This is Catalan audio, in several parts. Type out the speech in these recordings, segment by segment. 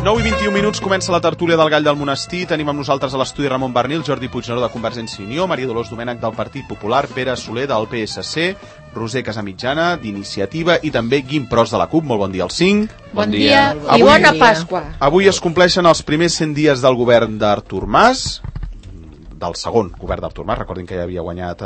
9:21 comença la tertúlia del Gall del Monestir. Tenim amb nosaltres a l'estudi Ramon Bernil, Jordi Puigneró de Convergència i Unió, Maria Dolors Domènech del Partit Popular, Pere Soler del PSC, Roser Casamitjana d'Iniciativa i també Guim Pros de la CUP. Molt bon dia als 5. Bon dia i bona Pasqua. Avui es compleixen els primers 100 dies del govern d'Artur Mas, del segon govern d'Artur Mas. Recordin que ja havia guanyat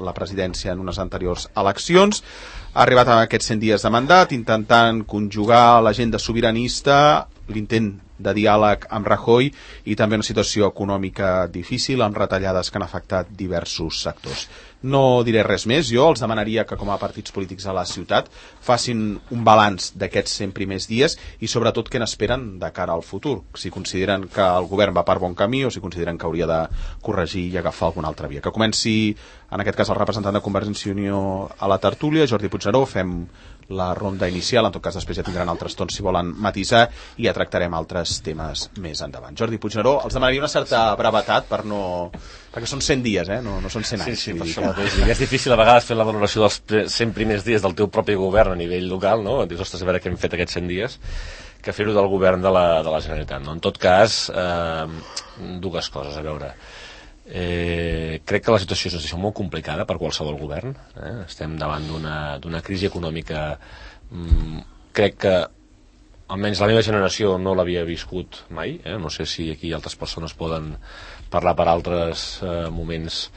la presidència en unes anteriors eleccions. Ha arribat a aquests 100 dies de mandat intentant conjugar l'agenda sobiranista, l'intent de diàleg amb Rajoy i també una situació econòmica difícil amb retallades que han afectat diversos sectors. No diré res més, jo els demanaria que com a partits polítics a la ciutat facin un balanç d'aquests 100 primers dies i sobretot què n'esperen de cara al futur, si consideren que el govern va per bon camí o si consideren que hauria de corregir i agafar alguna altra via. Que comenci en aquest cas el representant de Convergència i Unió a la tertúlia, Jordi Puigneró. Fem la ronda inicial, en tot cas després ja tindran altres tons si volen matisar i ja tractarem altres temes més endavant. Jordi Puigneró, els demanaria una certa brevetat perquè són 100 dies, no són 100 anys. Sí, per això mateix. És difícil a vegades fer la valoració dels 100 primers dies del teu propi govern a nivell local, no? Dius, ostres, a veure què hem fet aquests 100 dies, que fer-ho del govern de la Generalitat, no? En tot cas, dues coses, a veure. Crec que la situació és una situació molt complicada per qualsevol govern. Estem davant d'una crisi econòmica, crec que almenys la meva generació no l'havia viscut mai, no sé si aquí altres persones poden parlar per altres moments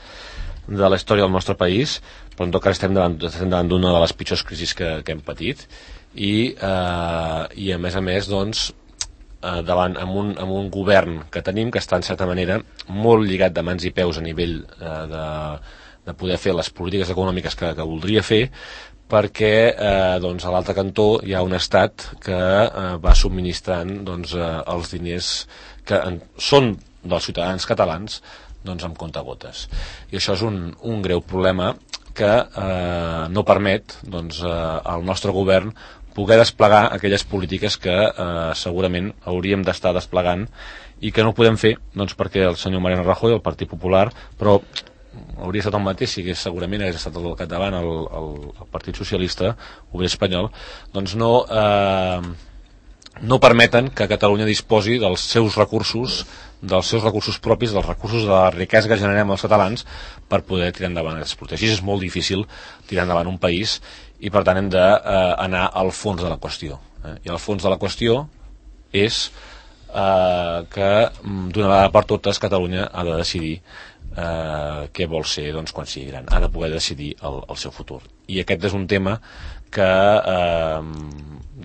de la història del nostre país, però en tot cas estem davant d'una de les pitjors crisis que hem patit i a més doncs amb un govern que tenim que està en certa manera molt lligat de mans i peus a nivell de poder fer les polítiques econòmiques que voldria fer, perquè doncs, a l'altre cantó hi ha un estat que va subministrant doncs, els diners que són dels ciutadans catalans doncs, amb comptagotes. I això és un greu problema que no permet doncs, al nostre govern poder desplegar aquelles polítiques que segurament hauríem d'estar desplegant i que no ho podem fer doncs, perquè el senyor Mariano Rajoy, el Partit Popular, però hauria estat el mateix si segurament hagués estat al capdavant el Partit Socialista Obrer Espanyol, doncs no permeten que Catalunya disposi dels seus recursos propis, dels recursos de la riquesa que generem els catalans per poder tirar endavant aquestes polítiques. És molt difícil tirar endavant un país i per tant hem d'anar al fons de la qüestió. I el fons de la qüestió és que d'una vegada per totes Catalunya ha de decidir què vol ser doncs, quan sigui gran, ha de poder decidir el seu futur. I aquest és un tema que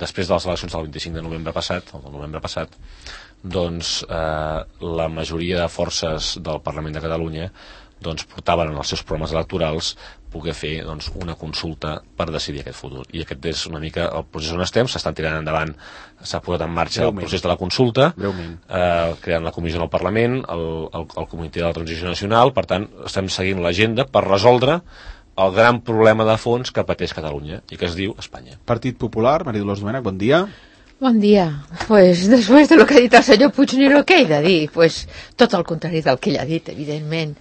després de les eleccions del 25 de novembre passat, doncs la majoria de forces del Parlament de Catalunya doncs, portaven en els seus programes electorals poder fer doncs, una consulta per decidir aquest futur. I aquest és una mica el procés on estem, s'estan tirant endavant, s'ha posat en marxa el procés de la consulta, creant la comissió del Parlament, el Comitè de la Transició Nacional, per tant, estem seguint l'agenda per resoldre el gran problema de fons que pateix Catalunya i que es diu Espanya. Partit Popular, Maria Dolors Domènech, bon dia. Bon dia. Pues después de lo que ha dit el senyor Puigneró, què he de dir? Pues tot el contrari del que ell ha dit, evidentment.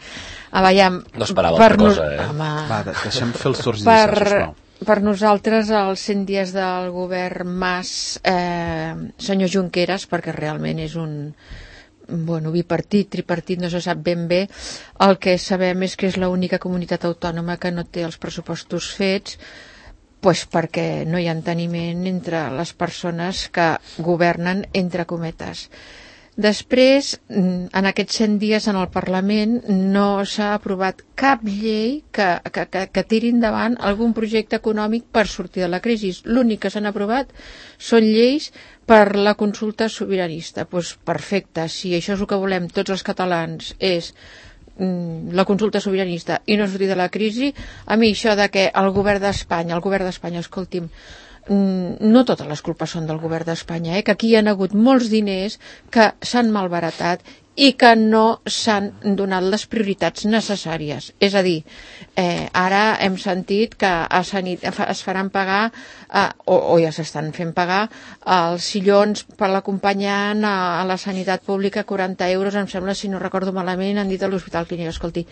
No esperava altra cosa, Va, deixem fer els torns inicials, sisplau. Per nosaltres, els 100 dies del govern Mas, senyor Junqueras, perquè realment és un bipartit, tripartit, no se sap ben bé. El que sabem és que és l'única comunitat autònoma que no té els pressupostos fets, pues perquè no hi ha enteniment entre les persones que governen, entre cometes. Després, en aquests 100 dies en el Parlament no s'ha aprovat cap llei que tiri endavant algun projecte econòmic per sortir de la crisi. L'únic que s'han aprovat són lleis per la consulta sobiranista. Pues perfecte, si això és el que volem tots els catalans, és la consulta sobiranista i no sortir de la crisi, a mi això de que el govern d'Espanya, escolti'm, no totes les culpes són del govern d'Espanya, que aquí hi ha hagut molts diners que s'han malbaratat i que no s'han donat les prioritats necessàries. És a dir, ara hem sentit que es faran pagar, o ja s'estan fent pagar, els sillons per l'acompanyant a la sanitat pública, 40 euros, em sembla, si no recordo malament, han dit a l'Hospital Clínic. Escolti,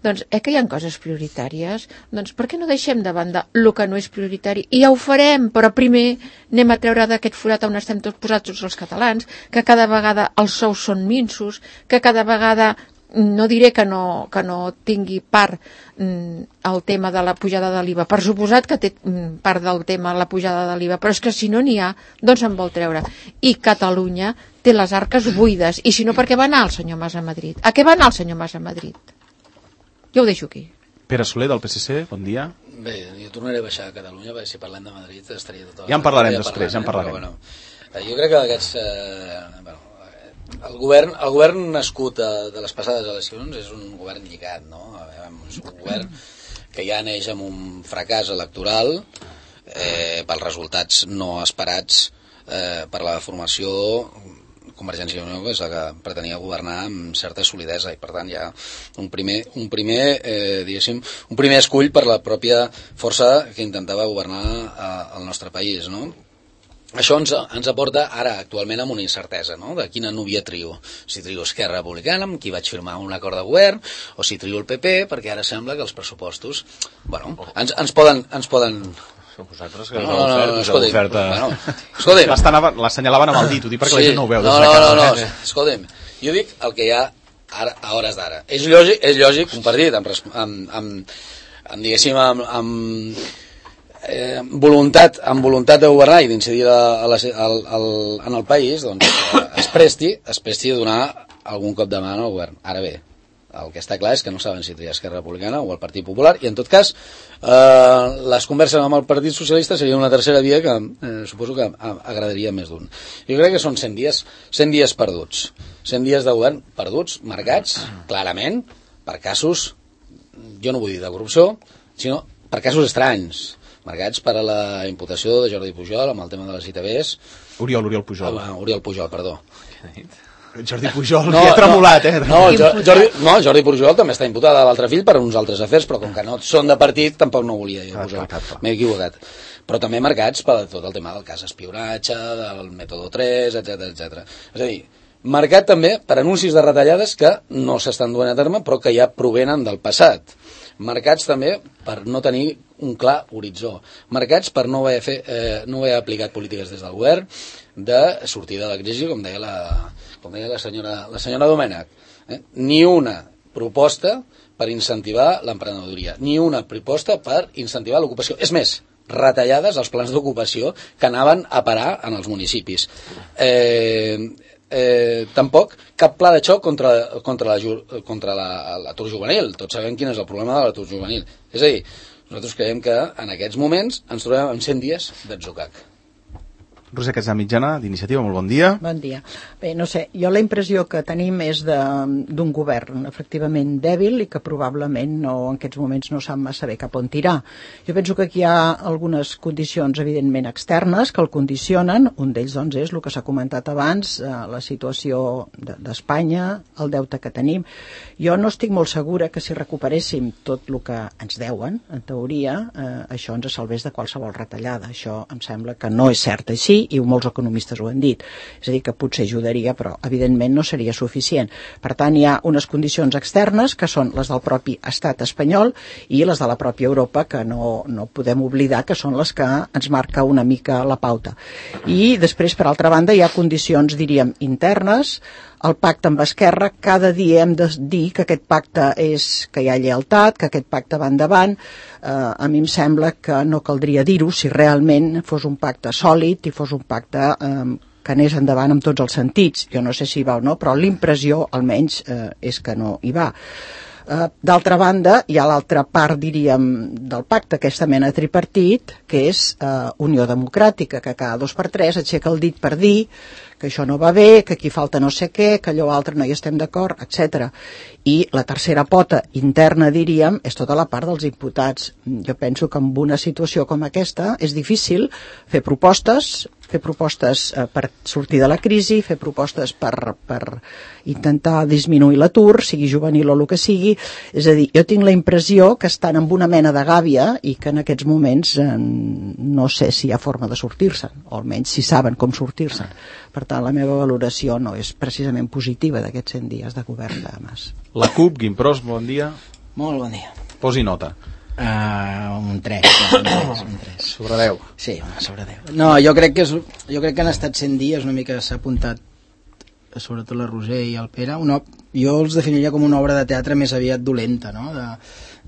Doncs que hi ha coses prioritàries, doncs per què no deixem de banda el que no és prioritari? I ja ho farem, però primer anem a treure d'aquest forat on estem tots posats tots els catalans, que cada vegada els sous són minsos, que cada vegada no diré que no tingui part el tema de la pujada de l'IVA, per suposat que té part del tema la pujada de l'IVA, però és que si no n'hi ha, doncs se'n vol treure. I Catalunya té les arques buides, i si no, per què va anar el senyor Mas a Madrid? A què va anar el senyor Mas a Madrid? Jo ho deixo aquí. Pere Soler, del PSC, bon dia. Bé, jo tornaré a baixar a Catalunya, perquè si parlem de Madrid estaria tot... Ja en parlarem després, ja en parlarem. Però, jo crec que aquests... El govern nascut de les passades eleccions és un govern lligat, no? És un govern que ja neix amb un fracàs electoral pels resultats no esperats per la formació Convergència i Unió, que és la que pretenia governar amb certa solidesa, i per tant hi ha un primer escull per la pròpia força que intentava governar el nostre país, no? Això ens aporta ara actualment amb una incertesa, no? De quina núvia trio. Si trio Esquerra Republicana, amb qui vaig firmar un acord de govern, o si trio el PP, perquè ara sembla que els pressupostos, bueno, ens poden... Vosaltres que escolti'm, l'assenyalaven amb el dit, ho dic perquè la gent no ho veu des de casa. No, escolti'm, jo dic el que hi ha ara, a hores d'ara. És lògic un partit amb diguéssim, amb voluntat de governar i d'incidir en el país, doncs es presti a donar algun cop de mà al govern. Ara bé, el que està clar és que no saben si triar Esquerra Republicana o el Partit Popular, i en tot cas les converses amb el Partit Socialista seria una tercera via que suposo que agradaria més d'un. Jo crec que són 100 dies perduts, 100 dies de govern perduts, marcats clarament per casos, jo no vull dir de corrupció, sinó per casos estranys, marcats per a la imputació de Jordi Pujol amb el tema de les ITVs. Oriol Pujol. Oriol Pujol, perdó. Jordi Pujol, que ha tremolat, Jordi Pujol també està imputada a l'altre fill per uns altres afers, però com que no són de partit, tampoc no volia jo Pujol. M'he equivocat. Però també marcats per tot el tema del cas espionatge, del mètode 3, etc. És a dir, marcat també per anuncis de retallades que no s'estan duent a terme, però que ja provenen del passat. Marcats també per no tenir un clar horitzó, marcats per no haver aplicat polítiques des del govern de sortir de la crisi, com deia la senyora Domènech. Ni una proposta per incentivar l'emprenedoria, ni una proposta per incentivar l'ocupació. És més, retallades als plans d'ocupació que anaven a parar en els municipis. Tampoc cap pla de xoc contra l'atur juvenil. Tots sabem quin és el problema de l'atur juvenil. És a dir, nosaltres creiem que en aquests moments ens trobem en 100 dies d'atzucac. Roser Casamitjana, d'Iniciativa, molt bon dia. Bon dia. Bé, no sé, jo la impressió que tenim és d'un govern efectivament dèbil i que probablement en aquests moments no sap massa bé cap on tirar. Jo penso que aquí hi ha algunes condicions evidentment externes que el condicionen. Un d'ells doncs és el que s'ha comentat abans, la situació d'Espanya, el deute que tenim. Jo no estic molt segura que si recuperéssim tot el que ens deuen, en teoria, això ens salvés de qualsevol retallada. Això em sembla que no és cert així, i molts economistes ho han dit. És a dir, que potser ajudaria, però evidentment no seria suficient. Per tant, hi ha unes condicions externes que són les del propi estat espanyol i les de la pròpia Europa, que no podem oblidar que són les que ens marca una mica la pauta. I després, per altra banda, hi ha condicions, diríem, internes. El pacte amb Esquerra, cada dia hem de dir que aquest pacte que hi ha lleialtat, que aquest pacte va endavant. A mi em sembla que no caldria dir-ho si realment fos un pacte sòlid i fos un pacte que anés endavant en tots els sentits. Jo no sé si hi va o no, però l'impressió, almenys, és que no hi va. D'altra banda, hi ha l'altra part, diríem, del pacte, aquesta mena tripartit, que és Unió Democràtica, que cada 2 per 3 aixeca el dit per dir que això no va bé, que aquí falta no sé què, que allò altre no hi estem d'acord, etc. I la tercera pota interna, diríem, és tota la part dels imputats. Jo penso que en una situació com aquesta és difícil fer propostes per sortir de la crisi, fer propostes per intentar disminuir l'atur, sigui juvenil o el que sigui. És a dir, jo tinc la impressió que estan amb una mena de gàbia i que en aquests moments no sé si hi ha forma de sortir-se'n, o almenys si saben com sortir-se'n. Per tant, la meva valoració no és precisament positiva d'aquests 100 dies de govern de Mas. La CUP, Guim Pros, bon dia. Molt bon dia. Posi nota. Un 3. Sobre 10. Sí, sobre 10. No, jo crec que han estat 100 dies, una mica s'ha apuntat sobretot la Roser i el Pere, jo els definiria com una obra de teatre més aviat dolenta, no?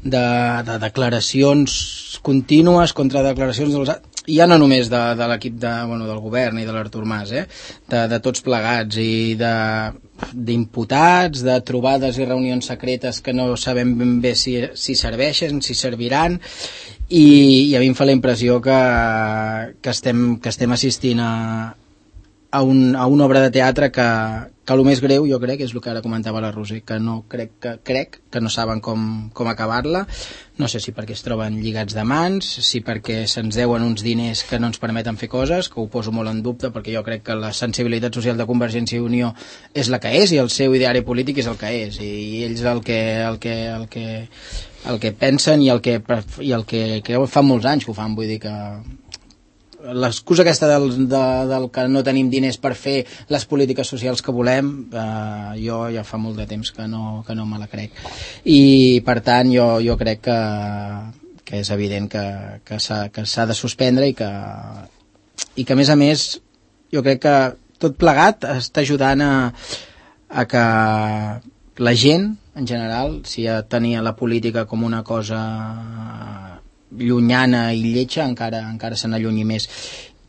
De declaracions contínues contra declaracions dels... ja no només de l'equip del govern i de l'Artur Mas, de tots plegats i d'imputats, de trobades i reunions secretes que no sabem ben bé si serveixen, si serviran, i a mi em fa la impressió que estem assistint a una obra de teatre que el més greu, jo crec, és el que ara comentava la Roser, que no crec que no saben com acabar-la. No sé si perquè es troben lligats de mans, si perquè se'ns deuen uns diners que no ens permeten fer coses, que ho poso molt en dubte, perquè jo crec que la sensibilitat social de Convergència i Unió és la que és, i el seu ideari polític és el que és, i ells el que pensen i el que fa molts anys que ho fan, vull dir que l'excusa aquesta del que no tenim diners per fer les polítiques socials que volem, jo ja fa molt de temps que no me la crec, i per tant jo crec que és evident que s'ha de suspendre i que a més jo crec que tot plegat està ajudant a que la gent en general, si ja tenia la política com una cosa llunyana i lletja, encara se n'allunyi més.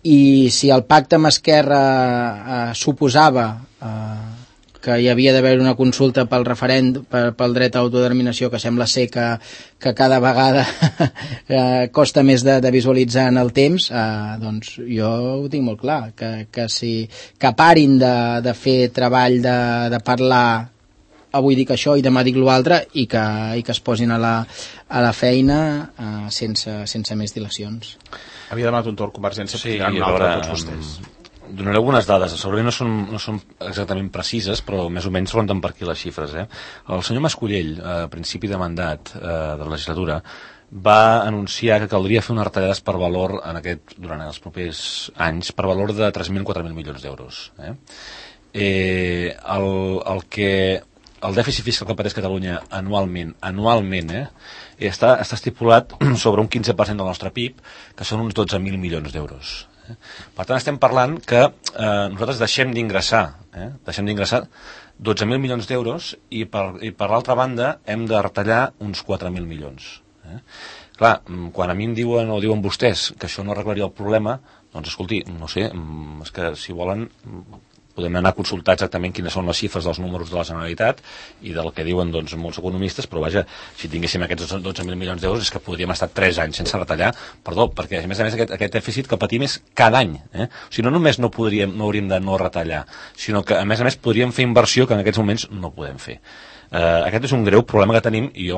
I si el pacte amb Esquerra suposava que hi havia d'haver una consulta pel referèndum, pel dret a autodeterminació, que sembla ser que cada vegada costa més de visualitzar en el temps, doncs jo ho tinc molt clar, que parin de fer treball de parlar avui dic això i demà dic l'altre, i que es posin a la feina sense més dilacions. Havia demanat un torn Convergència, sí, un altre tots vostès. Donaré algunes dades, segurament no són exactament precises, però més o menys ronden per aquí les xifres. El senyor Mascolell, a principi de mandat de la legislatura, va anunciar que caldria fer unes retallades per valor durant els propers anys, per valor de 3.000 o 4.000 milions d'euros. El dèficit fiscal que pateix Catalunya anualment està estipulat sobre un 15% del nostre PIB, que són uns 12.000 milions d'euros. Per tant, estem parlant que nosaltres deixem d'ingressar 12.000 milions d'euros i per l'altra banda hem de retallar uns 4.000 milions. Clar, quan a mi em diuen o diuen vostès que això no arreglaria el problema, doncs escolti, no sé, és que si volen podem anar a consultar exactament quines són les xifres dels números de la Generalitat i del que diuen doncs, molts economistes, però vaja, si tinguéssim aquests 12.000 milions d'euros és que podríem estar 3 anys sense retallar, perquè a més aquest dèficit que patim és cada any. O sigui, no només no hauríem de no retallar, sinó que a més podríem fer inversió que en aquests moments no podem fer. Aquest és un greu problema que tenim i,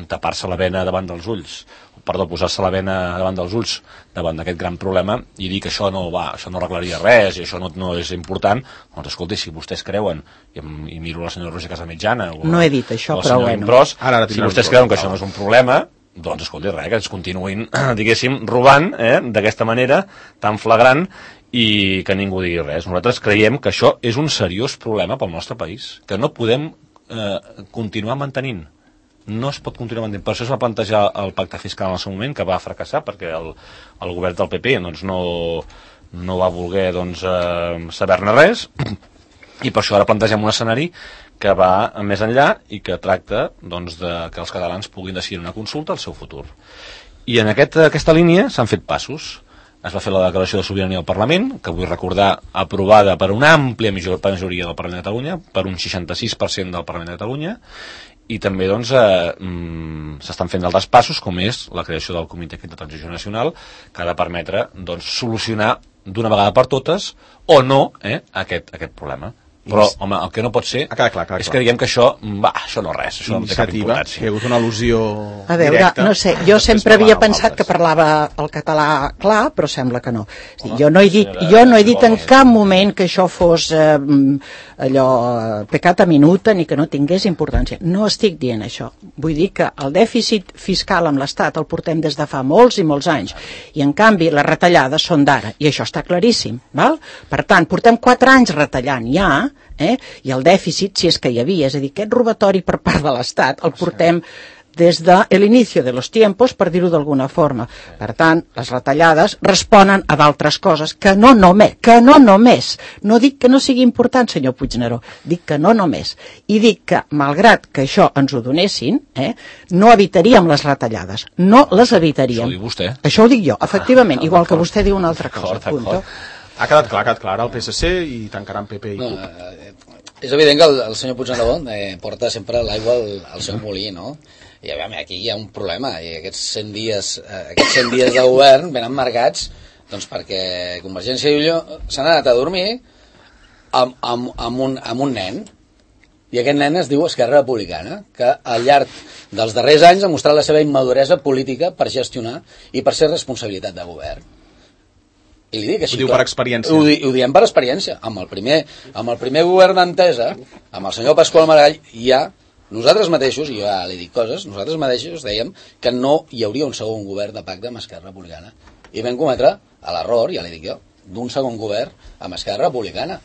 tapar-se la vena davant dels ulls, posar-se la vena davant dels ulls davant d'aquest gran problema i dir que això no arreglaria res i això no és important, doncs escolti, si vostès creuen, i miro la senyora Roger Casamitjana no he dit això, però bueno, Imbrós, si vostès creuen que això no és un problema, doncs escolti, res, que ens continuïn diguéssim, robant d'aquesta manera tan flagrant i que ningú digui res. Nosaltres creiem que això és un seriós problema pel nostre país, que no podem continuar mantenint. No es pot continuar mantenint. Per això es va plantejar el pacte fiscal en el seu moment, que va fracassar perquè el govern del PP doncs, no va voler saber-ne res, i per això ara plantegem un escenari que va més enllà i que tracta doncs, que els catalans puguin decidir una consulta al seu futur. I en aquesta línia s'han fet passos. Es va fer la declaració de sobirania al Parlament, que vull recordar aprovada per una àmplia majoria del Parlament de Catalunya, per un 66% del Parlament de Catalunya, i també s'estan fent altres passos, com és la creació del Comitè de Transició Nacional, que ha de permetre solucionar d'una vegada per totes o no aquest problema. Però, home, el que no pot ser és que diguem que això no res, això no té cap importància. Hi ha hagut una al·lusió a veure, directa. No sé, jo sempre havia pensat que parlava el català clar, però sembla que no. Jo no he dit en cap moment que això fos allò peccata minuta ni que no tingués importància. No estic dient això. Vull dir que el dèficit fiscal amb l'Estat el portem des de fa molts i molts anys, i en canvi les retallades són d'ara, i això està claríssim, val? Per tant, portem 4 anys retallant ja, i el dèficit, si és que hi havia, és a dir, aquest robatori per part de l'Estat el portem des de l'inici de los tiempos, per dir-ho d'alguna forma. Per tant, les retallades responen a d'altres coses que no només. No dic que no sigui important, senyor Puigneró, dic que no només. I dic que, malgrat que això ens ho donessin, no evitaríem les retallades. No les evitaríem. Això ho diu vostè. Això ho dic jo, efectivament, igual que vostè diu una altra cosa. Punto. Ha quedat clar el PSC i tancaran PP i CUP. És evident que el senyor Puigneró porta sempre l'aigua al seu molí, no? I a veure, aquí hi ha un problema, i aquests 100 dies de govern venen marcats doncs, perquè Convergència i Unió s'han anat a dormir amb un nen, i aquest nen es diu Esquerra Republicana, que al llarg dels darrers anys ha mostrat la seva immaduresa política per gestionar i per ser responsabilitat de govern. I li dic així, ho diu per experiència. Ho diem per experiència. Amb el primer govern d'Entesa, amb el senyor Pasqual Maragall, nosaltres mateixos, i jo ja li dic coses, nosaltres mateixos dèiem que no hi hauria un segon govern de pacte amb Esquerra Republicana. I vam cometre l'error, ja li dic jo, d'un segon govern amb Esquerra Republicana.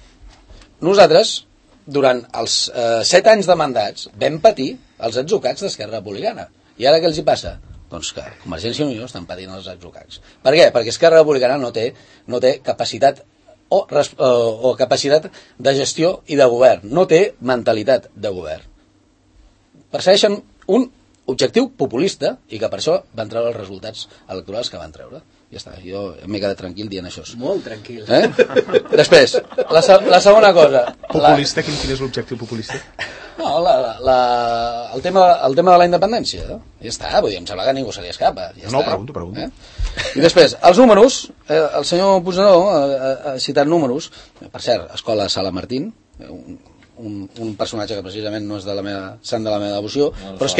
Nosaltres, durant els 7 anys de mandats, vam patir els atzucats d'Esquerra Republicana. I ara què els hi passa? Doncs que Convergència i Unió estan patint els atzucats. Per què? Perquè Esquerra Republicana no té capacitat o capacitat de gestió i de govern. No té mentalitat de govern. Persegueixen un objectiu populista i que per això van treure els resultats electorals que van treure. Ja està, jo m'he quedat tranquil dient això. Molt tranquil. Després, la segona cosa. Populista, quin és l'objectiu populista? No, el tema de la independència. Ja està, vull dir, em sembla que ningú se li escapa. Ja no, està. pregunto. I després, els números, el senyor Puigneró ha citat números, per cert, Escola Sala Martín, un personatge que precisament no és de la meva sant de la meva devoció, però es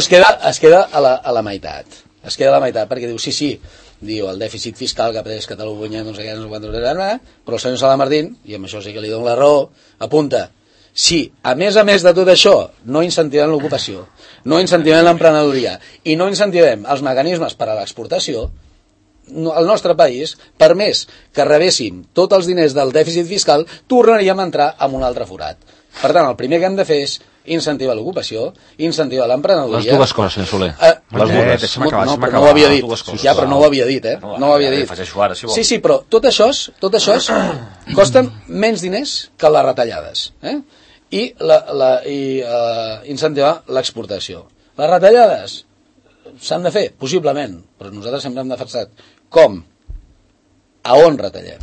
queda a la meitat. Es queda a la meitat perquè diu, sí, diu el dèficit fiscal que ha pres Catalunya, no sé què, però el senyor Sala Martín, i amb això sí que li dono la raó, apunta, si a més de tot això no incentivem l'ocupació, no incentivem l'emprenedoria i no incentivem els mecanismes per a l'exportació, el nostre país, per més que rebéssim tots els diners del dèficit fiscal, tornaríem a entrar en un altre forat. Per tant, el primer que hem de fer és incentivar l'ocupació, incentivar l'emprenedoria. Les dues coses, senyor Soler. Les dues. No ho havia dit. Ja, però no ho havia dit, No ho havia dit. Sí, però tot això costen menys diners que les retallades. I incentivar l'exportació. Les retallades s'han de fer, possiblement, però nosaltres sempre hem defensat com, a on retallem,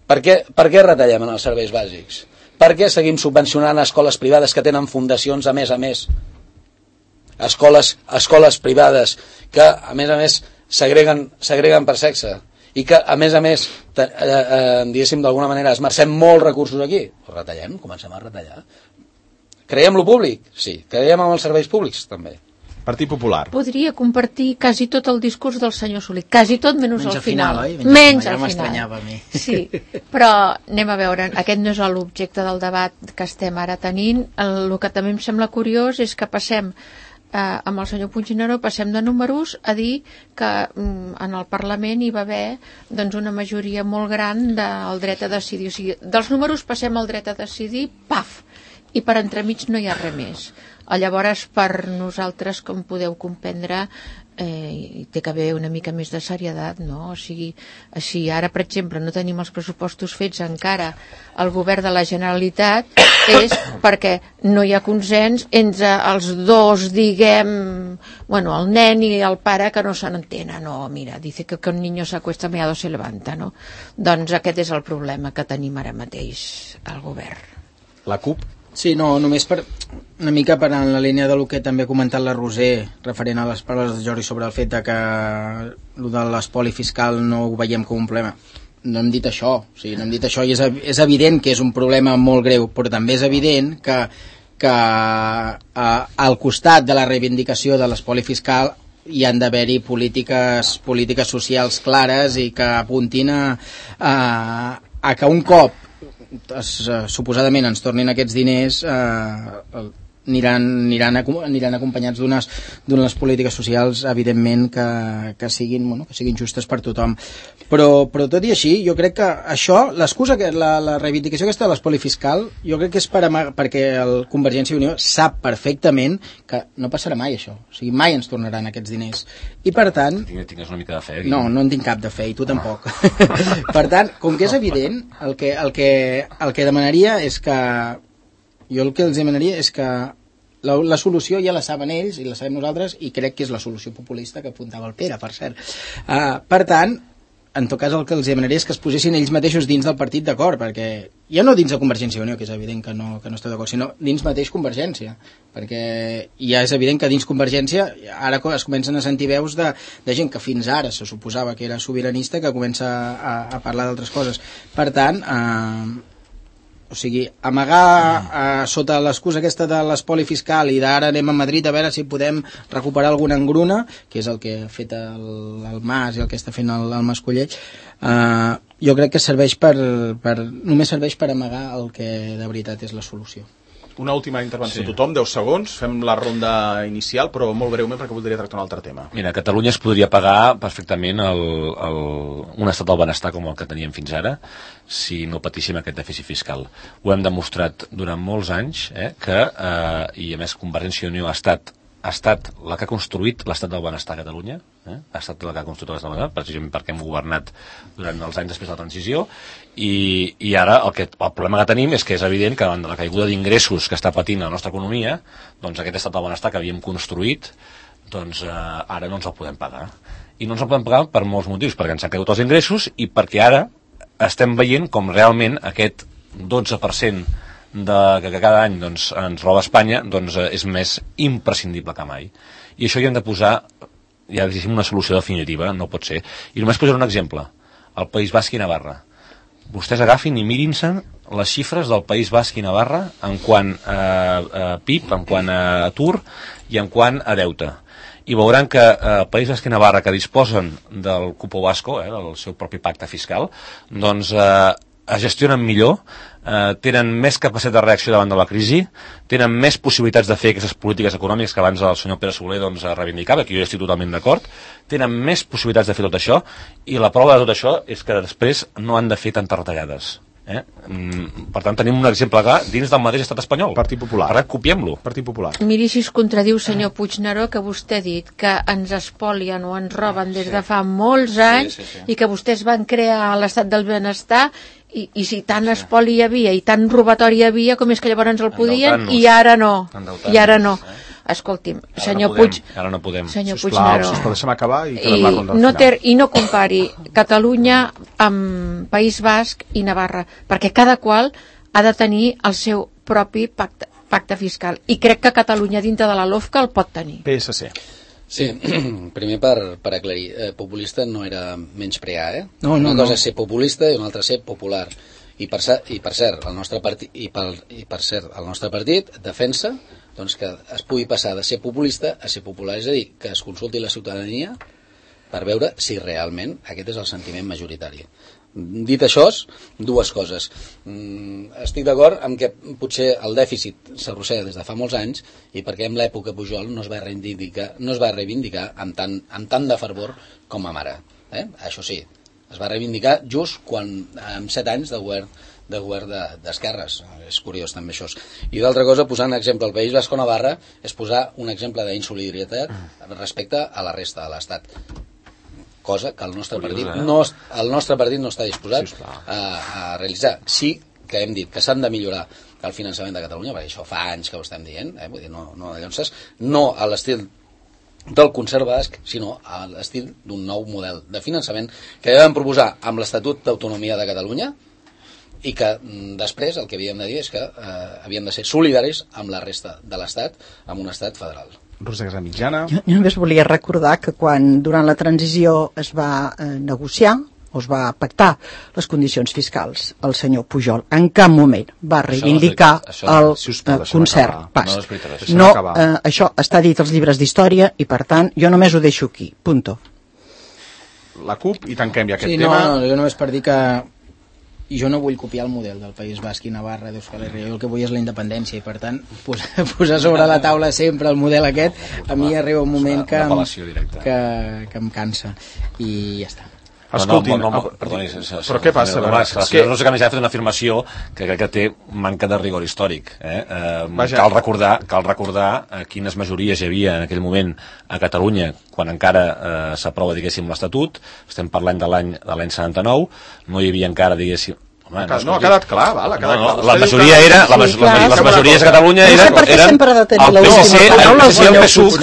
per què retallem en els serveis bàsics, per què seguim subvencionant escoles privades que tenen fundacions a més, escoles privades que a més segreguen per sexe i que a més diguéssim d'alguna manera esmercem molts recursos aquí, doncs retallem, comencem a retallar. Creiem lo públic? Sí. Creiem en els serveis públics? També. Partit Popular. Podria compartir quasi tot el discurs del senyor Soler, quasi tot menys al final. Menys al final. A mi. Sí, però anem a veure, aquest no és l'objecte del debat que estem ara tenint. El que també em sembla curiós és que passem, amb el senyor Puigneró, passem de números a dir que en el Parlament hi va haver doncs, una majoria molt gran del dret a decidir. O sigui, dels números passem al dret a decidir, paf, i per entremig no hi ha res més. Llavors, per nosaltres, com podeu comprendre, hi té que haver una mica més de serietat, no? O sigui, així, ara, per exemple, no tenim els pressupostos fets encara al govern de la Generalitat, és perquè no hi ha consens entre els dos, diguem, bueno, el nen i el pare que no se n'entenen, no, mira, dice que un niño se acuesta meado se levanta, no? Doncs aquest és el problema que tenim ara mateix al govern. La CUP? Sí, no, només per una mica per en la línia del que també ha comentat la Roser referent a les paraules de Jordi sobre el fet de que el de l'espoli fiscal no ho veiem com un problema. No hem dit això, o sigui, no hem dit això i és evident que és un problema molt greu, però també és evident que al costat de la reivindicació de l'espoli fiscal hi han d'haver-hi polítiques socials clares i que apuntin a que un cop suposadament ens tornin aquests diners aniran acompanyats d'unes polítiques socials, evidentment, que siguin justes per tothom. Però tot i així, jo crec que això, l'excusa, la reivindicació aquesta de l'espoli fiscal, jo crec que és perquè el Convergència i Unió sap perfectament que no passarà mai això. O sigui, mai ens tornaran aquests diners. I per tant... Tingues una mica de fe. No en tinc cap de fe, i tu tampoc. Per tant, com que és evident, el que demanaria és que... Jo el que els demanaria és que la solució ja la saben ells i la sabem nosaltres, i crec que és la solució populista que apuntava el Pere, per cert. Per tant, en tot cas el que els demanaria és que es posessin ells mateixos dins del partit d'acord, perquè ja no dins de Convergència i Unió, que és evident que no esteu d'acord, sinó dins mateix Convergència, perquè ja és evident que dins Convergència ara es comencen a sentir veus de gent que fins ara se suposava que era sobiranista, que comença a parlar d'altres coses. Per tant, o sigui, amagar sota l'excusa aquesta de l'espoli fiscal i d'ara anem a Madrid a veure si podem recuperar alguna engruna, que és el que ha fet el Mas i el que està fent el Mascolell, jo crec que només serveix per amagar el que de veritat és la solució. Una última intervenció, tothom, 10 segons, fem la ronda inicial, però molt breument perquè voldria tractar un altre tema. Mira, a Catalunya es podria pagar perfectament un estat del benestar com el que teníem fins ara, si no patíssim aquest dèficit fiscal. Ho hem demostrat durant molts anys, que, i a més Convergència i Unió ha estat la que ha construït l'estat del benestar a Catalunya, ha estat la que ha construït l'estat del benestar, precisament perquè hem governat durant els anys després de la transició, i ara el problema que tenim és que és evident que davant de la caiguda d'ingressos que està patint la nostra economia, doncs aquest estat del benestar que havíem construït, doncs ara no ens el podem pagar. I no ens el podem pagar per molts motius, perquè ens han caigut els ingressos i perquè ara estem veient com realment aquest 12% que cada any doncs, ens roba Espanya, doncs, és més imprescindible que mai. I això hi hem de posar ja una solució definitiva, no pot ser. I només posaré un exemple, el País Basc i Navarra. Vostès agafin i mirin-se les xifres del País Basc i Navarra en quant a PIB, en quant a atur i en quant a deute. I veuran que el País Basc i Navarra, que disposen del cupo basco, del seu propi pacte fiscal, doncs es gestionen millor, tenen més capacitat de reacció davant de la crisi, tenen més possibilitats de fer aquestes polítiques econòmiques que abans el senyor Pere Soler reivindicava, que jo estic totalment d'acord, tenen més possibilitats de fer tot això, i la prova de tot això és que després no han de fer tantes retallades. Per tant, tenim un exemple clar dins del mateix estat espanyol. Partit Popular. Ara copiem-lo. Partit Popular. Miri si es contradiu, senyor Puigneró, que vostè ha dit que ens espolien o ens roben des de fa molts anys i que vostès van crear l'estat del benestar i si tant espoli hi havia i tant robatori hi havia, com és que llavors el podien i ara no. I ara no. Escolti'm, senyor Puig... Ara no podem. Senyor Puigneró. Sisplau, deixa'm acabar i quedem la ronda final. I no compari Catalunya amb País Basc i Navarra, perquè cada qual ha de tenir el seu propi pacte fiscal. I crec que Catalunya dintre de la LOFCA el pot tenir. PSC. Sí, primer per aclarir, populista no era menysprear, Una cosa és ser populista i una altra ser popular. I per cert, el nostre partit defensa doncs, que es pugui passar de ser populista a ser popular, és a dir, que es consulti la ciutadania per veure si realment aquest és el sentiment majoritari. Dit això, dues coses. Estic d'acord amb que potser el dèficit s'arrossega des de fa molts anys i perquè en l'època Pujol no es va reivindicar amb tant de fervor com amb ara. Això sí, es va reivindicar just quan, amb 7 anys de govern d'esquerres. És curiós també això. I d'altra cosa, posant exemple al País Basc o Navarra, és posar un exemple d'insolidaritat respecte a la resta de l'Estat, cosa que el nostre partit no està disposat a realitzar. Sí que hem dit que s'han de millorar el finançament de Catalunya, perquè això fa anys que ho estem dient, vull dir, no a l'estil del concert basc, sinó a l'estil d'un nou model de finançament que ja vam proposar amb l'Estatut d'Autonomia de Catalunya i que després el que havíem de dir és que havíem de ser solidaris amb la resta de l'Estat, amb un Estat federal. Rosa Casamitjana. Jo només volia recordar que quan durant la transició es va negociar o es va pactar les condicions fiscals, el senyor Pujol en cap moment va reivindicar el concert basc. Això està dit als llibres d'història i per tant jo només ho deixo aquí, punto. La CUP i tanquem ja aquest tema. No, jo només per dir que jo no vull copiar el model del País Basc i Navarra d'Euskal Herria, jo el que vull és la independència i per tant posar sobre la taula sempre el model aquest a mi arriba un moment que em cansa i ja està. Escoltin, perdoni, però què passa? No sé que més ha fet una afirmació que crec que té manca de rigor històric. Cal recordar quines majories hi havia en aquell moment a Catalunya quan encara s'aprova, diguéssim, l'Estatut. Estem parlant de l'any 79, no hi havia encara, diguéssim... Home, no, ha quedat clar, val? La majoria era... Les majories a Catalunya eren el PSC, el PSUV,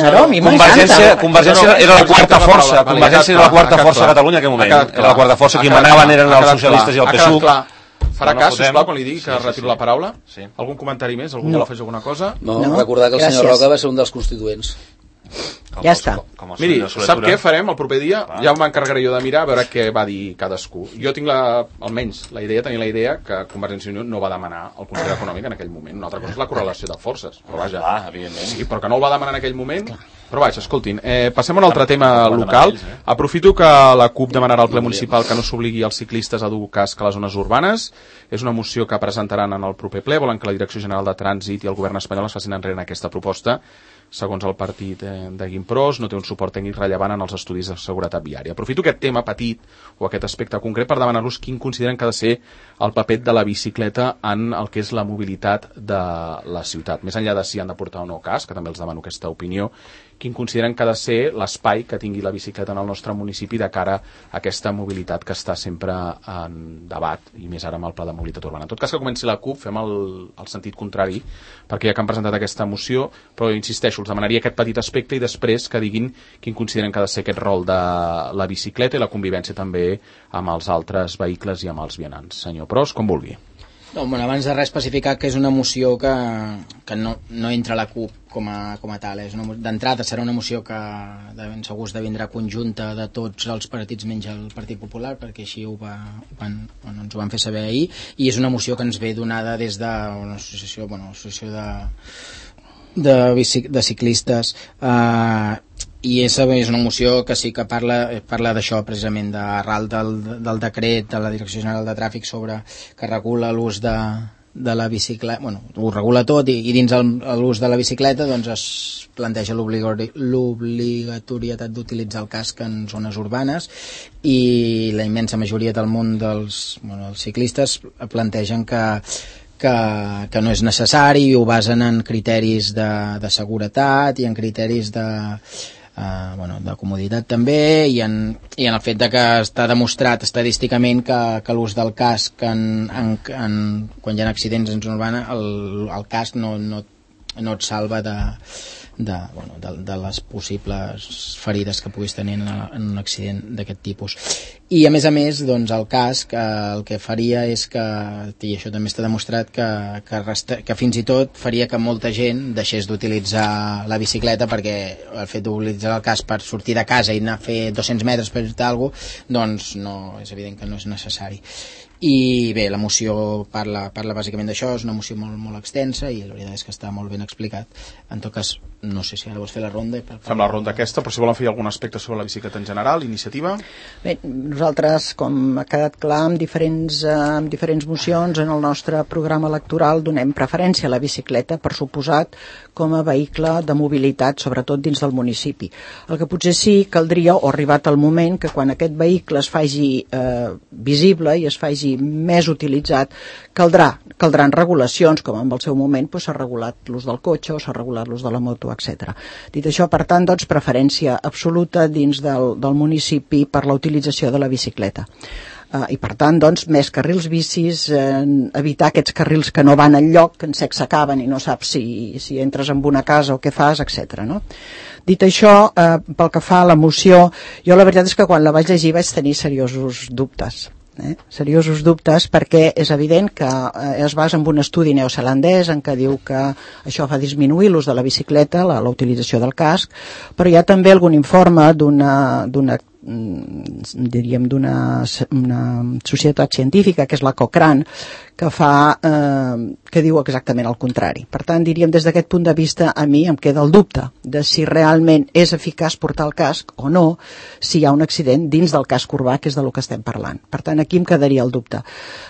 Convergència era la quarta força, Convergència era la quarta força a Catalunya en aquell moment. Era la quarta força, qui manaven eren els socialistes i el PSUV. Farà cas, sisplau, quan li digui que retiro la paraula? Algun comentari més? Algú vol afegir alguna cosa? No, recordar que el senyor Roca va ser un dels constituents. Ja està. Miri, sap què farem el proper dia? Ja m'encarregaré jo de mirar a veure què va dir cadascú. Jo tinc almenys tenia la idea que Convergència i Unió no va demanar el concert econòmic en aquell moment. Una altra cosa és la correlació de forces, però vaja. Sí, però que no el va demanar en aquell moment. Però vaja, escoltin, passem a un altre tema local. Aprofito que la CUP demanarà al ple municipal que no s'obligui els ciclistes a dur casc a les zones urbanes. És una moció que presentaran en el proper ple. Volen que la Direcció General de Trànsit i el govern espanyol es facin enrere en aquesta proposta. Segons el partit de Guimpros, no té un suport tècnic rellevant en els estudis de seguretat viària. Aprofito aquest tema petit o aquest aspecte concret per demanar-los quin consideren que ha de ser el paper de la bicicleta en el que és la mobilitat de la ciutat. Més enllà de si han de portar o no casc, que també els demano aquesta opinió, quin consideren que ha de ser l'espai que tingui la bicicleta en el nostre municipi de cara a aquesta mobilitat que està sempre en debat, i més ara amb el pla de mobilitat urbana. En tot cas, que comenci la CUP, fem el sentit contrari, perquè ja que han presentat aquesta moció, però insisteixo, els demanaria aquest petit aspecte i després que diguin quin consideren que ha de ser aquest rol de la bicicleta i la convivència també amb els altres vehicles i amb els vianants. Senyor Pros, com vulgui. No, bueno, abans de res especificar que és una moció que no entra a la CUP com a tal. D'entrada serà una moció que de ben segur esdevindrà conjunta de tots els partits menys el Partit Popular, perquè així ens ho van fer saber ahir, i és una moció que ens ve donada des d'una associació, de ciclistes, i és una moció que sí que parla d'això precisament, d'arral del decret de la Direcció General de Tràfic que regula l'ús de la bicicleta, ho regula tot, i dins l'ús de la bicicleta doncs es planteja l'obligatorietat d'utilitzar el casc en zones urbanes, i la immensa majoria del món dels ciclistes plantegen que no és necessari, i ho basen en criteris de seguretat i en criteris de comoditat també, i en el fet de que està demostrat estadísticament que l'ús del casc quan hi ha accidents en zona urbana, el casc no et salva de les possibles ferides que puguis tenir en un accident d'aquest tipus. I a més, doncs, el casc el que faria és que, i això també està demostrat, que fins i tot faria que molta gent deixés d'utilitzar la bicicleta, perquè el fet d'utilitzar el casc per sortir de casa i anar a fer 200 metres per fer alguna cosa, doncs és evident que no és necessari. I bé, la moció parla bàsicament d'això, és una moció molt, molt extensa, i la veritat és que està molt ben explicat. En tot cas, no sé si ara vols fer la ronda. Fem la ronda aquesta, però si volen fer algun aspecte sobre la bicicleta en general, iniciativa? Bé, nosaltres, com ha quedat clar, amb diferents mocions en el nostre programa electoral donem preferència a la bicicleta, per suposat, com a vehicle de mobilitat, sobretot dins del municipi. El que potser sí caldria, o arribat el moment, que quan aquest vehicle es faci visible i es faci més utilitzat, caldran regulacions, com en el seu moment s'ha regulat l'ús del cotxe o s'ha regulat l'ús de la moto, etc. Dit això, per tant, doncs, preferència absoluta dins del municipi per la utilització de la bicicleta. I per tant, doncs, més carrils bicis, evitar aquests carrils que no van enlloc, que en sec s'acaben i no saps si entres en una casa o què fas, etc. No? Dit això, pel que fa a la moció, jo la veritat és que quan la vaig llegir vaig tenir seriosos dubtes. Seriosos dubtes, perquè és evident que es basa en un estudi neozelandès en què diu que això fa disminuir l'ús de la bicicleta, la utilització del casc, però hi ha també algun informe d'una societat científica, que és la Cochrane, que diu exactament el contrari. Per tant, diríem, des d'aquest punt de vista, a mi em queda el dubte de si realment és eficaç portar el casc o no, si hi ha un accident dins del casc urbà, que és del que estem parlant. Per tant, aquí em quedaria el dubte.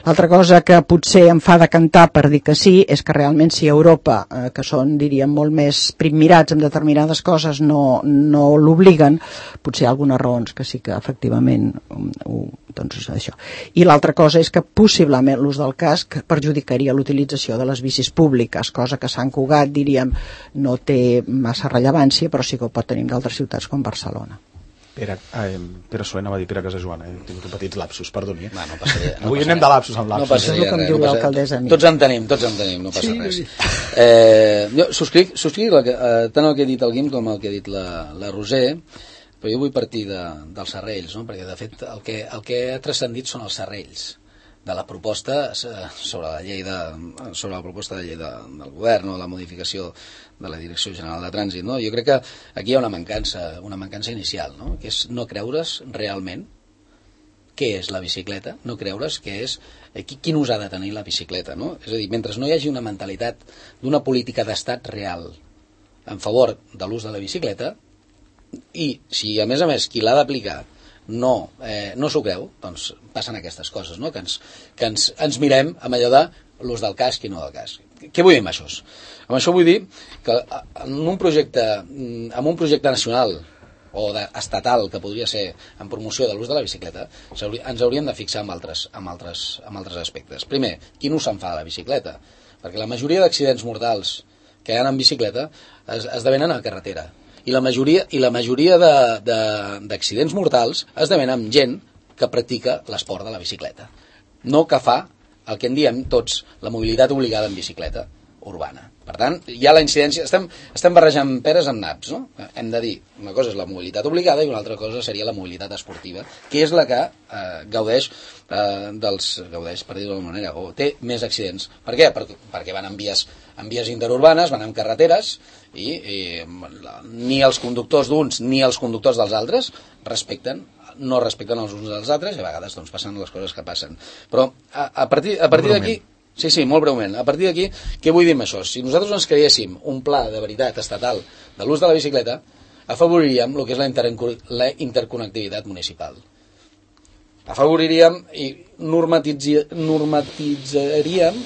L'altra cosa que potser em fa decantar per dir que sí, és que realment si a Europa, que són, diríem, molt més primmirats en determinades coses, no l'obliguen, potser hi ha algunes raons que sí que efectivament doncs això. I l'altra cosa és que possiblement l'ús del casc perjudicaria l'utilització de les bicis públiques, cosa que a Sant Cugat, diríem, no té massa rellevància, però sí que ho pot tenir en d'altres ciutats com Barcelona. Pere Soler, anava a dir Pere Casajoan, he tingut un petit lapsus, perdoni. No passaria. Avui anem de lapsus amb lapsus. No passaria, que em diu l'alcaldessa a mi. Tots en tenim, no passa res. Jo subscric tant el que ha dit el Guim com el que ha dit la Roser, però jo vull partir dels serrells, no? Perquè de fet el que ha transcendit són els serrells de la proposta sobre la proposta de llei del govern o la modificació de la Direcció General de Trànsit, no? Jo crec que aquí hi ha una mancança inicial, no? Que és no creure's realment què és la bicicleta, no creure's què és quin ús ha de tenir la bicicleta, no? És a dir, mentre no hi hagi una mentalitat d'una política d'estat real en favor de l'ús de la bicicleta, i si a més qui l'ha d'aplicar no s'ho creu, doncs passen aquestes coses, no? Que ens mirem amb allò de l'ús del casc i no del casc. Què vull dir amb això? Amb això vull dir que en un projecte nacional o estatal que podria ser en promoció de l'ús de la bicicleta, ens hauríem de fixar en altres aspectes. Primer, quin ús se'n fa de la bicicleta? Perquè la majoria d'accidents mortals que hi ha en bicicleta esdevenen a carretera. I la majoria d'accidents mortals esdevenen amb gent que practica l'esport de la bicicleta. No que fa el que en diem tots la mobilitat obligada en bicicleta urbana. Per tant, hi ha la incidència... Estem barrejant peres amb naps, no? Hem de dir, una cosa és la mobilitat obligada i una altra cosa seria la mobilitat esportiva, que és la que gaudeix, per dir-ho d'alguna manera, o té més accidents. Per què? Perquè van en vies interurbanes, van en carreteres, i ni els conductors d'uns ni els conductors dels altres no respecten els uns dels altres, i a vegades doncs, passen les coses que passen. Però a partir d'aquí... Sí, molt breument. A partir d'aquí, què vull dir amb això? Si nosaltres ens creéssim un pla de veritat estatal de l'ús de la bicicleta, afavoriríem el que és la interconnectivitat municipal. Afavoriríem i normatitzaríem,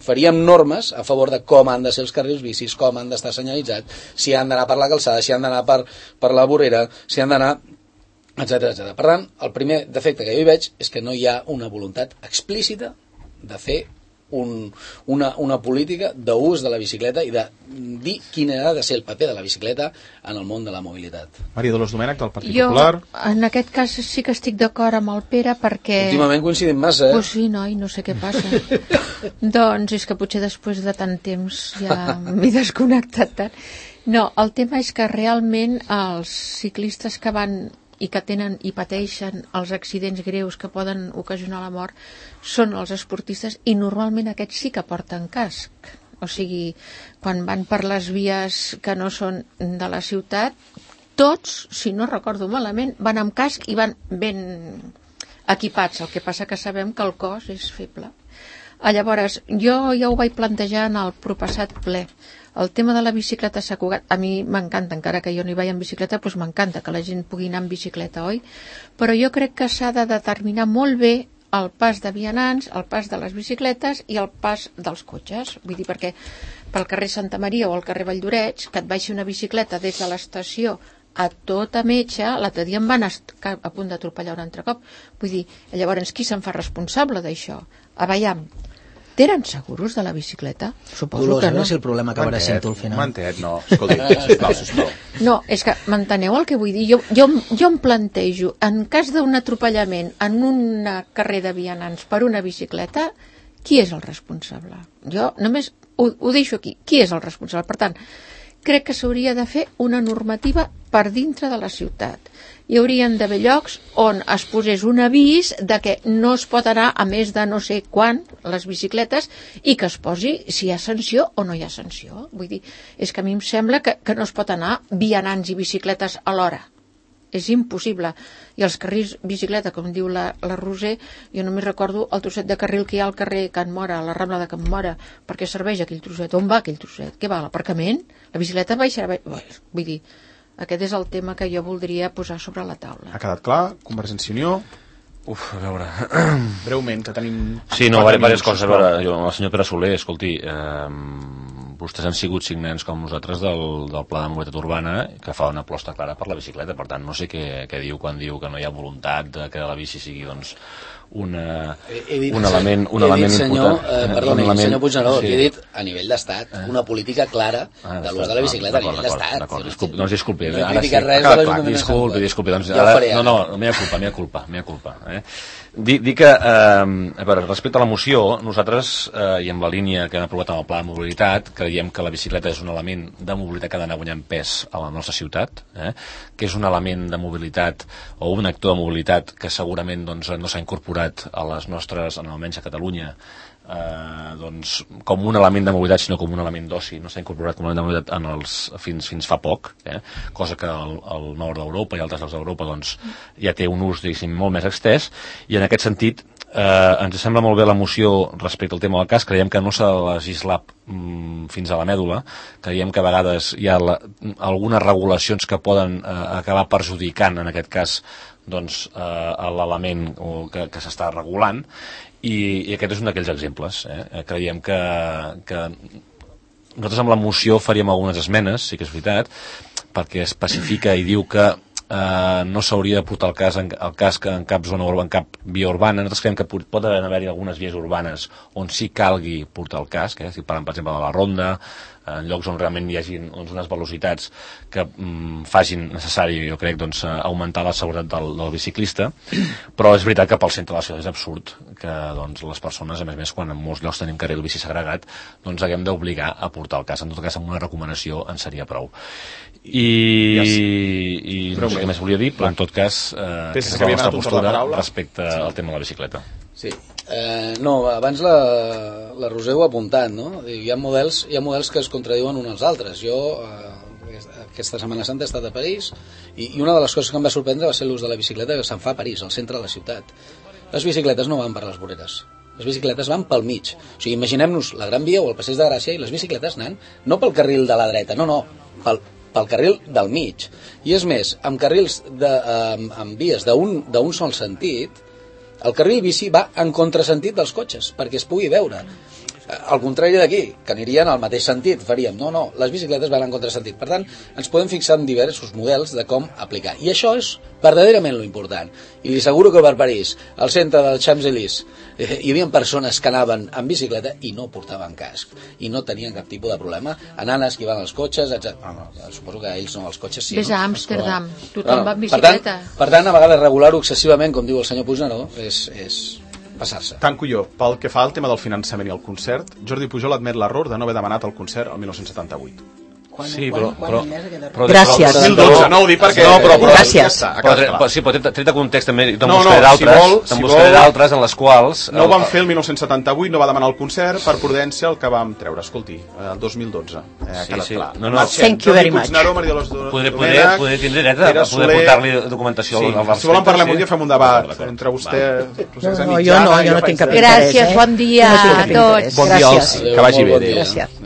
faríem normes a favor de com han de ser els carrils bicis, com han d'estar senyalitzats, si han d'anar per la calçada, si han d'anar per la vorera, si han d'anar... etc. Per tant, el primer defecte que jo hi veig és que no hi ha una voluntat explícita de fer una política d'ús de la bicicleta i de dir quin ha de ser el paper de la bicicleta en el món de la mobilitat. Maria Dolors Domènech, del Partit Popular. Jo, en aquest cas, sí que estic d'acord amb el Pere, perquè... Últimament coincidim massa, Pues sí, noi, no sé què passa. Doncs és que potser després de tant temps ja m'he desconnectat tant. No, el tema és que realment els ciclistes que van i que tenen i pateixen els accidents greus que poden ocasionar la mort són els esportistes, i normalment aquests sí que porten casc. O sigui, quan van per les vies que no són de la ciutat, tots, si no recordo malament, van amb casc i van ben equipats. El que passa que sabem que el cos és feble. Llavors, jo ja ho vaig plantejar en el proppassat ple. El tema de la bicicleta s'ha cugat. A mi m'encanta, encara que jo no hi vaig en bicicleta, doncs m'encanta que la gent pugui anar en bicicleta, oi? Però jo crec que s'ha de determinar molt bé el pas de vianants, el pas de les bicicletes i el pas dels cotxes. Vull dir, perquè pel carrer Santa Maria o al carrer Valldoreix, que et baixi una bicicleta des de l'estació a tota metxa, l'altre dia em van estar a punt d'atropellar un altre cop. Vull dir, llavors qui se'n fa responsable d'això? Aviam, tenen seguros de la bicicleta? Suposo Dolors, que a veure no. si el problema acabarà sent tu al final. Mantet, no. Escolti, sisplau. No, és que m'enteneu el que vull dir? Jo em plantejo, en cas d'un atropellament en un carrer de vianants per una bicicleta, qui és el responsable? Jo només ho deixo aquí. Qui és el responsable? Per tant, crec que s'hauria de fer una normativa per dintre de la ciutat. Hi haurien d'haver llocs on es posés un avís de que no es pot anar a més de no sé quan les bicicletes, i que es posi si hi ha sanció o no hi ha sanció. Vull dir, és que a mi em sembla que no es pot anar vianants i bicicletes alhora. és impossible. I els carrils bicicleta, com diu la Roser, jo només recordo el trosset de carril que hi ha al carrer Can Mora, a la Rambla de Can Mora. Per què serveix aquell trosset? On va aquell trosset? Què va, l'aparcament? La bicicleta baixarà... Vull dir, aquest és el tema que jo voldria posar sobre la taula. Ha quedat clar? Convergència i Unió? A veure... Breument, que tenim... Sí, no, diverses coses. A veure, el senyor Pere Soler, escolti, vostès han sigut signants com nosaltres del Pla de Mobilitat Urbana, que fa una aposta clara per la bicicleta. Per tant, no sé què diu quan diu que no hi ha voluntat de que la bici sigui, doncs, un element senyor, important. Perdoni, senyor Puigneró, he dit a nivell d'estat, una política clara de l'ús de la bicicleta a nivell d'estat. Doncs disculpi, no ara sí. Disculpi. Doncs no, mea culpa. Dir que, a veure, respecte a la moció, nosaltres, i amb la línia que hem aprovat amb el Pla de Mobilitat, creiem que la bicicleta és un element de mobilitat que ha d'anar guanyant pes a la nostra ciutat, que és un element de mobilitat o un actor de mobilitat que segurament doncs, no s'ha incorporat a les nostres, almenys a Catalunya, doncs, com un element de mobilitat, sinó com un element d'oci. No s'ha incorporat com un element de mobilitat fins fa poc, cosa que al nord d'Europa i altres llocs d'Europa doncs, ja té un ús, diguéssim, molt més extès, i en aquest sentit ens sembla molt bé la moció respecte al tema del cas. Creiem que no s'ha de legislar fins a la mèdula, creiem que a vegades hi ha algunes regulacions que poden acabar perjudicant, en aquest cas, doncs, l'element que s'està regulant, i aquest és un d'aquells exemples. Creiem que nosaltres amb la moció faríem algunes esmenes, sí que és veritat, perquè especifica i diu que no s'hauria de portar el casc en cap zona urbana, en cap via urbana. Nosaltres creiem que poden haver-hi algunes vies urbanes on sí calgui portar el casc, si parlem, per exemple, de la Ronda, en llocs on realment hi hagi unes velocitats que facin necessari, jo crec, doncs, augmentar la seguretat del biciclista, però és veritat que pel centre de la ciutat és absurd que doncs, les persones, a més, quan en molts llocs tenim carril bici segregat, doncs haguem d'obligar a portar el casc. En tot cas, amb una recomanació en seria prou. I no sé què més volia dir, però en tot cas que és la nostra postura respecte al tema de la bicicleta. Sí. No, abans la Roser ho ha apuntat, no? Hi ha models que es contradiuen uns als altres. Jo aquesta Setmana Santa he estat a París i una de les coses que em va sorprendre va ser l'ús de la bicicleta que se'n fa a París, al centre de la ciutat. Les bicicletes no van per les voreres, les bicicletes van pel mig. O sigui, imaginem-nos la Gran Via o el Passeig de Gràcia i les bicicletes anant no pel carril de la dreta, no, pel carril del mig. I és més, amb carrils amb vies d'un sol sentit, el carril bici va en contrasentit dels cotxes, perquè es pugui veure. Al contrari d'aquí, que anirien al mateix sentit, faríem, no, les bicicletes van en contrasentit. Per tant, ens podem fixar en diversos models de com aplicar. I això és verdaderament lo important. I li asseguro que per París, al centre del Champs-Élysées, hi havia persones que anaven en bicicleta i no portaven casc, i no tenien cap tipus de problema, anant esquivant els cotxes, etc. Suposo que ells no, els cotxes sí. Ves a Amsterdam, tothom va en bicicleta. Per tant, a vegades regular-ho excessivament, com diu el senyor Puigneró, és passar-se. Tanco jo. Pel que fa al tema del finançament i el concert, Jordi Pujol admet l'error de no haver demanat el concert el 1978. Sí, però gràcies. 2012, no ho dic perquè... Gràcies. Però tret de context també te'n buscaré d'altres en les quals... No ho vam fer el 1978, no va demanar el concert per prudència el que vam treure, escolti, el 2012. Sí. Thank you very much. Podré tindre dret a poder portar-li documentació. Si volen parlem un dia fem un debat entre vostè... Jo no tinc cap interès. Gràcies, bon dia a tots. Bon dia, que vagi bé. Gràcies.